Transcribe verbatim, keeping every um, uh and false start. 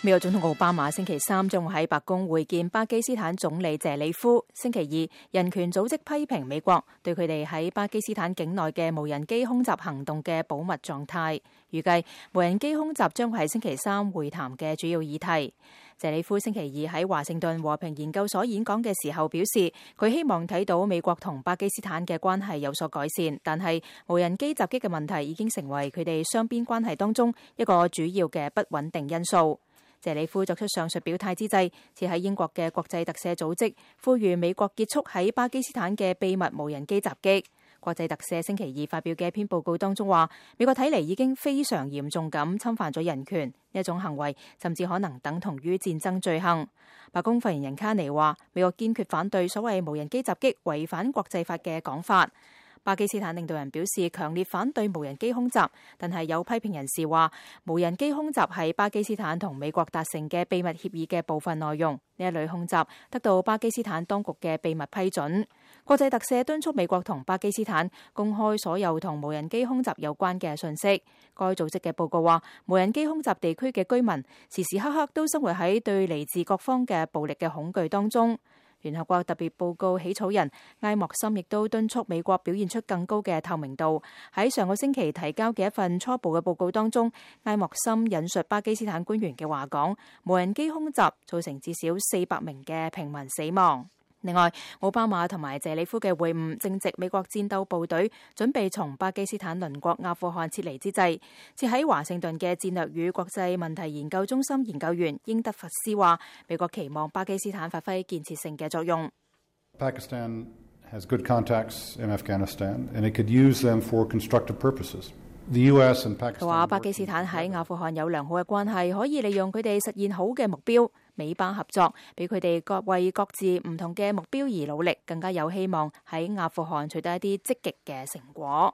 美國總統奧巴馬星期三將會喺白宮會見巴基斯坦總理謝里夫。星期二，人權組織批評美國對佢哋喺巴基斯坦境內嘅無人機空襲行動嘅保密狀態。預計無人機空襲將會係星期三會談嘅主要議題。謝里夫星期二喺華盛頓和平研究所演講嘅時候表示，佢希望睇到美國同巴基斯坦嘅關係有所改善，但係無人機襲擊嘅問題已經成為佢哋雙邊關係當中一個主要嘅不穩定因素。謝里夫作出上述表態之際，似喺英國嘅國際特赦組織呼籲美國結束喺巴基斯坦嘅秘密無人機襲擊。國際特赦星期二發表嘅一篇報告當中話，美國睇嚟已經非常嚴重咁侵犯咗人權，呢一種行為甚至可能等同於戰爭罪行。白宮發言人卡尼話，美國堅決反對所謂無人機襲擊違反國際法嘅講法。巴基斯坦領導人表示強烈反對無人機空襲，但係有批評人士話，無人機空襲係巴基斯坦同美國達成嘅秘密協議嘅部分內容，呢一類空襲得到巴基斯坦當局嘅秘密批准。國際特赦敦促美國同巴基斯坦公開所有同無人機空襲有關嘅信息。該組織嘅報告話，無人機空襲地區嘅居民時時刻刻都生活喺對嚟自各方嘅暴力嘅恐懼當中。聯合國特別報告起草人埃莫森亦都敦促美國表現出更高嘅透明度。喺上個星期提交嘅一份初步嘅報告當中，埃莫森引述巴基斯坦官員嘅話講，無人機空襲造成至少四百名嘅平民死亡。另外，奧巴馬同埋謝里夫嘅會晤正值美國戰鬥部隊準備從巴基斯坦鄰國阿富汗撤離之際。設喺華盛頓嘅戰略與國際問題研究中心研究員英德佛斯話，美國期望巴基斯坦發揮建設性嘅作用。Pakistan has good contacts in Afghanistan, and it could use them for constructive purposes. The U S and Pakistan 佢話巴基斯坦喺阿富汗有良好嘅關係，可以利用佢哋實現好嘅目標。美巴合作，俾佢哋各為各自唔同嘅目標而努力，更加有希望喺阿富汗取得一啲積極嘅成果。